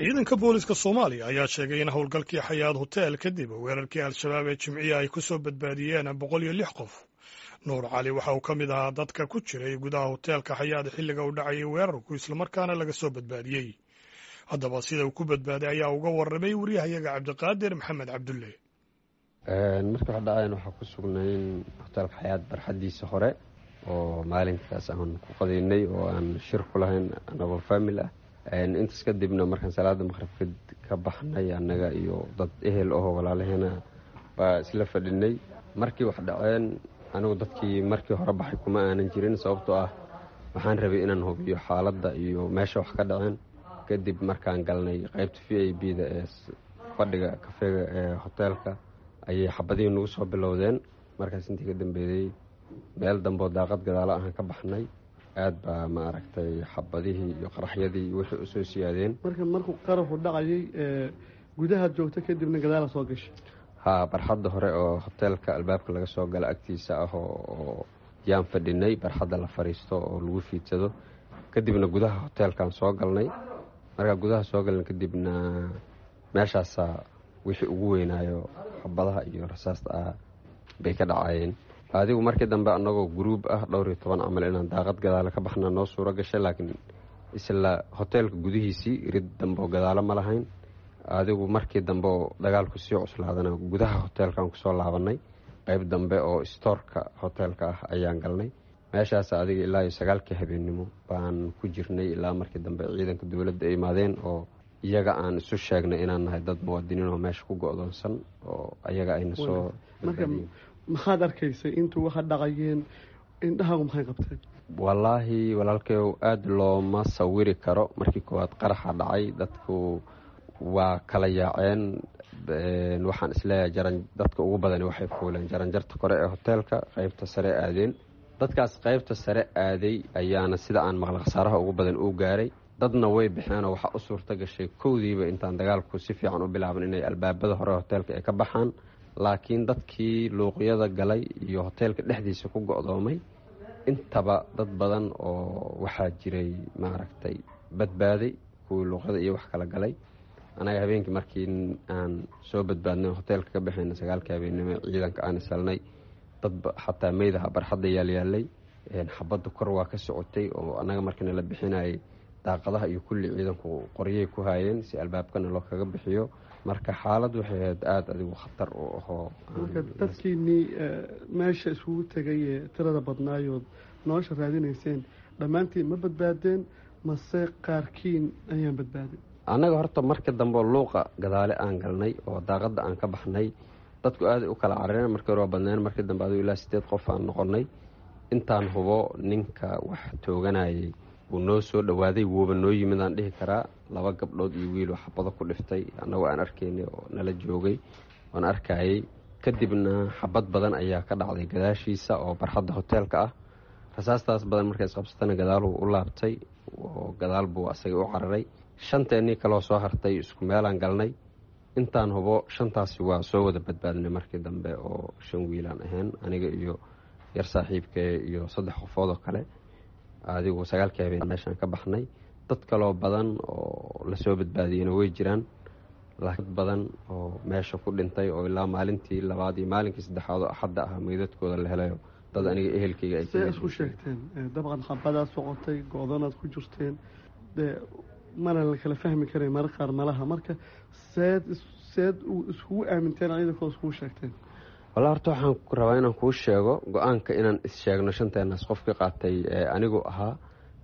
Ciidanka booliska Soomaaliya ayaa sheegay in howlgalkii Xayaad Hotel kadib weerarkii Al-Shabaab ee Jimciya ay ku soo badbaadiyeen 106 qof. Nuur Cali waxa uu ka mid ahaa dadka ku jiray gudaha hoteelka Xayaad xilliga uu dhacayay weerarku, islamarkaana laga soo badbaadiyey. Haddaba sida uu ku badbaaday ayaa uga warramay wariyahayaga Cabdiqaadir Maxamed Cabdulle. Markii wax dhaceen waxaa ku sugnayn hoteelka Xayaad barxaddiisa hore oo maalinkaas aan ku qadaynay oo aan shir ku lahayn anagoo faamil ah. Intaas kadibna markaan salaada maqhribka ka baxnay, annaga iyo dad ehel ahoo walaalaheena baa isla fadhinay. Markii wax dhaceen anigu dadkii markii hore baxay kuma aanan jirin, sababtoo ah waxaan rabay inaan hubiyo xaaladda iyo meesha wax ka dhaceen. Kadib markaan galnay qaybta VIP da ee fadhiga kafeega ee hoteelka ayay xabadihii nagu soo bilowdeen. Markaas intii ka dambeeyey meel dambeoo daaqad gadaalo ahaan ka baxnay. Aad baa ma aragtay xabadihii iyo qaraxyadii wixii usoo siyaadeen. Marka markuu qaraxu dhacayay gudahaad joogta, kadibna gadaala soo gashay? Haa, barxadda hore oo hoteelka albaabka laga soo gala agtiisa ah oo yaan fadhinay, barxadda la fariisto oo lagu fiidsado. Kadibna gudaha hoteelkaan soo galnay. Markaa gudaha soo galnay kadibna meeshaasaa wixii ugu weynaayo xabadaha iyo rasaasta ah bay ka dhacayeen. Adigu markii dambe annagoo guruub ah, dhowr iyo toban camal, inaan daaqad gadaalo ka baxna noo suuro gashay, laakiin isla hoteelka gudihiisii rid dambe oo gadaalo ma lahayn. Adigu markii dambe oo dagaalku sii cuslaadana gudaha hoteelkaan kusoo laabanay, qayb dambe oo stoorka hoteelka ah ayaan galnay. Meeshaas adiga ilaa iyo 9-kii habeennimo baan ku jirnay, ilaa markii dambe ciidanka dowladda ay imaadeen oo iyaga aan isu sheegnay inaan nahay dad muwaadiniin oo meesha ku go-doonsan oo ayaga ayna soo Marka maxaad arkaysay intuu waxa dhacayeen? Indhahaagu maxay qabteen? Wallaahi walaalkayow, aada looma sawiri karo. Markii koowaad qaraxa dhacay dadku waa kala yaaceen. Waxaan isleeyahay jaran dadka ugu badani waxay fuuleen jaranjarta kore ee hoteelka, qeybta sare aadeen. Dadkaas qeybta sare aaday ayaana sida aan maqla khasaaraha ugu badan uu gaaray. Dadna way baxeenoo waxaa u suurta gashay kowdiiba intaan dagaalku si fiican u bilaaban inay albaabada hore hoteelka ay ka baxaan, laakiin dadkii luuqyada galay iyo hoteelka dhexdiisa ku go-doomay intaba dad badan oo waxaa jiray maaragtay badbaaday, kuwii luuqyada iyo wax kala galay. Anaga habeenkii markii aan soo badbaadnay hoteelka ka baxayna 9-kii habeennimo, ciidanka aan isalnay, dad xataa meydaha barxadda yaalyaalay. Xabadda kor waa ka socotay oo annaga markiina la bixinayay daaqadaha iyo kulli ciidanku qoryay ku haayeen si albaabkana loo kaga bixiyo. Marka xaalad waxay ahayd aada adigu khatar u ahoo. Marka dadkiinii meesha isugu tegay ee tirada badnaayood nolosha raadinayseen dhammaantiin ma badbaadeen mase qaarkiin ayaan badbaadin? Annaga horta marka dambe luuqa gadaale aan galnay oo daaqadda aan ka baxnay, dadku aaday u kala carareen. Markii hore waa badneen, markii dambe adigu ilaa 8 qof aan noqonnay. Intaan hubo ninka wax tooganayay wuu noo soo dhowaaday, wuuba noo yimid aan dhihi karaa. Laba gabdhood iyo wiil xabado ku dhiftay annagoo aan arkaynay oo nala joogay oon arkayay. Kadibna xabad badan ayaa ka dhacday gadaashiisa oo barxadda hoteelka ah. Rasaastaas badan markay isqabsatana gadaaluu u laabtay oo gadaal buu asaga u cararay. Shanteennii kaloo soo hartay isku meelaan galnay. Intaan hubo shantaasi waa soo wada badbaadnay markii dambe, oo shan wiilaan ahayn, aniga iyo yar saaxiibkee iyo saddex qofood oo kale. Adigu 9-kii habeen meeshaan ka baxnay. Dad kaloo badan oo lasoo badbaadiyena way jiraan, laakiin dad badan oo meesha ku dhintay oo ilaa maalintii labaad iyo maalinkii saddexaad oo Axadda ah meydadkooda la helayo, dad aniga ehelkeyga ay See isku sheegteen? Dabcan xabadaad socotay, go-danaad ku jirteen, dee mana la kala fahmi karay marar qaar malaha. Marka seed iskugu aaminteen ciidankooda, iskugu sheegteen? Walla horta waxaan rabaa inaan kuu sheego go-aanka inaan is-sheegno shanteenaas qofkii qaatay anigu ahaa.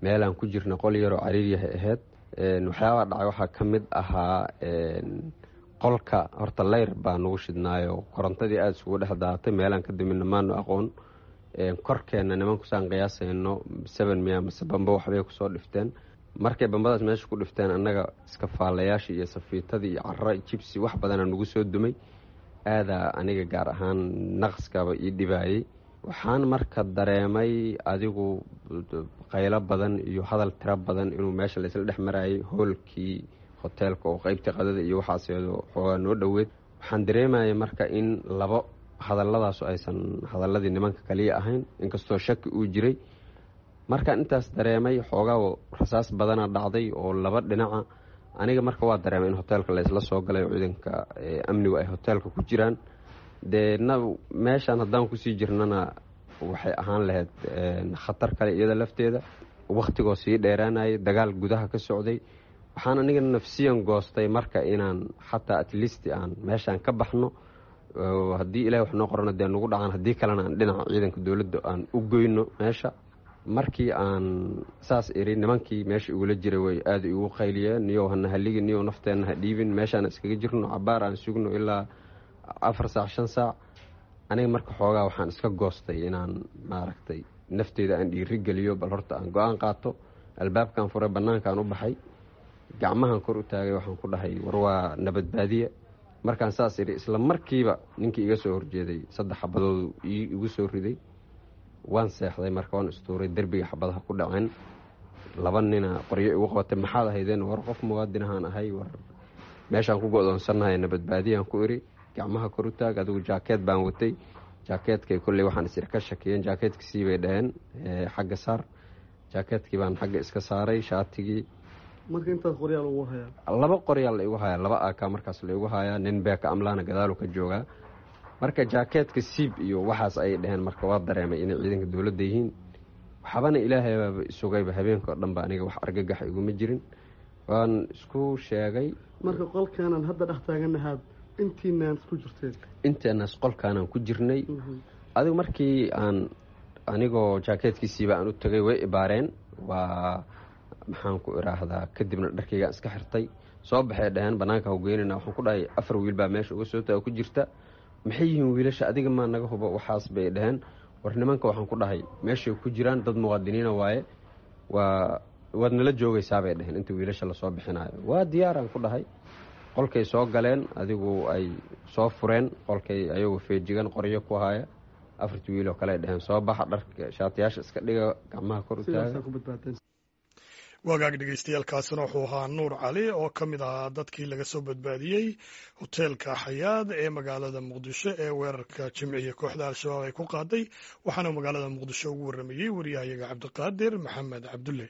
Meelaan ku jirna qol yaroo cariiryahay ahayd. Waxyaabaha dhacay waxaa ka mid ahaa qolka horta leyr baa nagu shidnaayo, korontadii aada isugu dhex daatay. Meelaan ka damina maanu aqoon. Korkeenna nimankusaan qiyaasayno seven miya mase bambo waxbay kusoo dhifteen. Markay bambadaas meesha ku dhifteen, annaga iska faalayaashii iyo safiitadii iyo cara jibsi wax badanaa nagu soo dumay. Aadaa aniga gaar ahaan naqskaba ii dhibaayey. Waxaan marka dareemay adigu qaylo badan iyo hadal tiro badan inuu meesha laysla dhex marayay hoolkii hoteelka oo qeybtii qadada iyo waxaaseedo xoogaa noo dhoweed. Waxaan dareemayay marka in labo hadalladaasu aysan hadalladii nimanka kaliya ahayn, inkastoo shaki uu jiray. Markaan intaas dareemay xoogaa rasaas badana dhacday oo laba dhinaca. Aniga marka waa dareemay in hoteelka laysla soo galay oo ciidanka amnigu ay hoteelka ku jiraan. Deedna meeshaan haddaan kusii jirnana waxay ahaan lahayd khatar kale iyada lafteeda, wakhtigoo sii dheeraanayay, dagaal gudaha ka socday. Waxaan aniga nafsiyan goostay marka inaan xataa at least aan meeshaan ka baxno, haddii ilahay wax noo qorana dee nagu dhacaan, haddii kalena aan dhinaca ciidanka dowladda aan u goyno meesha. Markii aan saas iri, nimankii meesha igula jiray way aada igu qayliyeen: "Niyow, hana haligin, niyow, nafteenna ha dhiibin, meeshaan iskaga jirno, cabaar aan sugno ilaa 4 saac, 5 saac." Aniga marka xoogaa waxaan iska goostay inaan maaragtay nafteeda aan dhiiri geliyo, bal horta aan go-aan qaato. Albaabkaan furay, bannaankaan u baxay, gacmahan kor u taagay, waxaan ku dhahay: "War, waa nabadbaadiye." Markaan saas idhi, isla markiiba ninkii iga soo horjeeday saddex xabadoodu igu soo riday. Waan seexday marka, waan istuuray, derbiga xabadaha ku dhaceen. Laba nina qoryo igu qabatay: "Maxaad ahaydeen?" "War, qof muwaadinahaan ahay, war meeshaan ku go-doonsannahay nabadbaadiyaan ku iri, gacmaha kor u taag." Adigu jaakeet baan watay, jaakeetkay kolley waxaan isir ka shakiyeen, "Jaakeetka sii," bay dhaheen, "xagga saar." Jaakeetkii baan xagga iska saaray, shaatigii. Marka intaas qoryaal ugu hayaa? Laba qoryaal la igu hayaa, laba AK markaas la igu hayaa, nin beeka amlaana gadaalu ka joogaa. Marka "Jaakeetka siib" iyo waxaas ayay dhaheen. Marka waa dareemay inay ciidanka dowladda yihiin. Waxbana ilaahay baaba isugayba, habeenka oo dhan ba aniga wax argagax iguma jirin, waan isku sheegay. Marka qolkaanaan hadda dhex taaganahaad intiinaan isku jirteen? Inteenaas qolkaanaan ku jirnay. Adigu markii aan anigoo jaakeetkiisiiba aan u tagay, way ibaareen, waa maxaan ku iraahdaa, kadibna dharkaygaan iska xirtay. "Soo baxee," dhaheen, "banaanka hawgeynana." Waxaan ku dhahay: "Afar wiil baa meesha uga soo taga ku jirta." "Maxay yihiin wiilasha? Adiga maa naga hubo waxaas," bay dhaheen. "War nimanka," waxaan ku dhahay, "meeshay ku jiraan dad muwaadiniina waaye, waa waad nala joogaysaa," bay dhaheen, "inta wiilasha lasoo bixinaayo." "Waa diyaaraan," ku dhahay. Qolkay soo galeen, adigu ay soo fureen qolkay, ayagoo feejigan, qoryo ku haya. Afartii wiil oo kale ay dhaheen: "Soo baxa, dharka shaatiyaasha iska dhiga, gacmaha kor u taaga." Wagaag dhegeystayaal, wuxuu ahaa Nuur Cali oo ka mid ahaa dadkii laga soo badbaadiyey hoteelka Xayaad ee magaalada Muqdisho ee weerarka Jimciya kooxda Al-Shabaab ay ku qaaday, waxaana magaalada Muqdisho ugu warramayey wariyahayaga Cabdiqaadir Maxamed Cabdulle.